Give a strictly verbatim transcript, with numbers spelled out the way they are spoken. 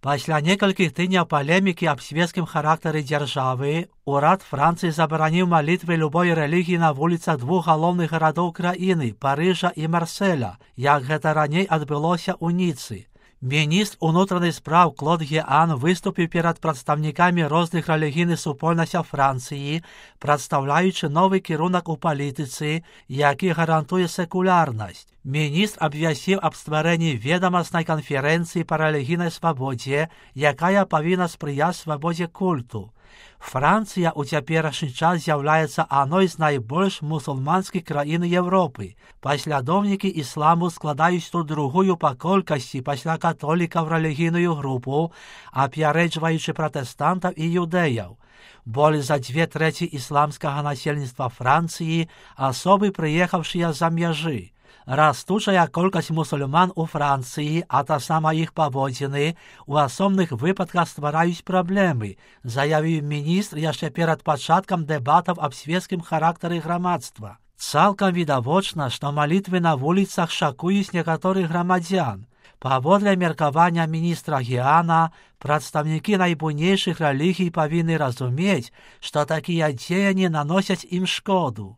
Пасля некалькіх тыдняў палемікі аб свецкім характары дзяржавы, урад Францыі забараніў малітвы любой рэлігіі на вуліцах двух галоўных гарадоў краіны, Парыжа і Марселя, як гэта раней адбылося ў Ніцы. Міністр унутраных спраў Клод Геан выступіў перад прадстаўнікамі розных рэлігійных супольнасцяў Францыі, прадстаўляючы новы кірунак у палітыцы, які гарантуе секулярнасць. Міністр абвясціў аб стварэнні ведамаснай канферэнцыі па рэлігійнай свабодзе, якая павінна спрыяць свабодзе культу. Францыя ў цяперашні час з'яўляецца адной з найбольш мусульманскіх краін Еўропы. Паслядоўнікі ісламу складаюць тут другую па колькасці пасля католікаў рэлігійную групу, апярэджваючы пратэстантаў і юдэяў. Болей за дзве трэці ісламскага насельніцтва Францыі асобы, прыехаўшыя з-за мяжы. Растучая колькасць мусульман у Францыі, а таксама іх паводзіны, у асобных выпадках ствараюць праблемы, заявіў міністр яшчэ перад пачаткам дэбатаў аб свецкім характары грамадства. Цалкам відавочна, што малітвы на вуліцах шакуюць некаторых грамадзян. Паводле меркавання міністра Геана, прадстаўнікі найбуйнейшых рэлігій павінны разумець, што такія дзеянні наносяць ім шкоду.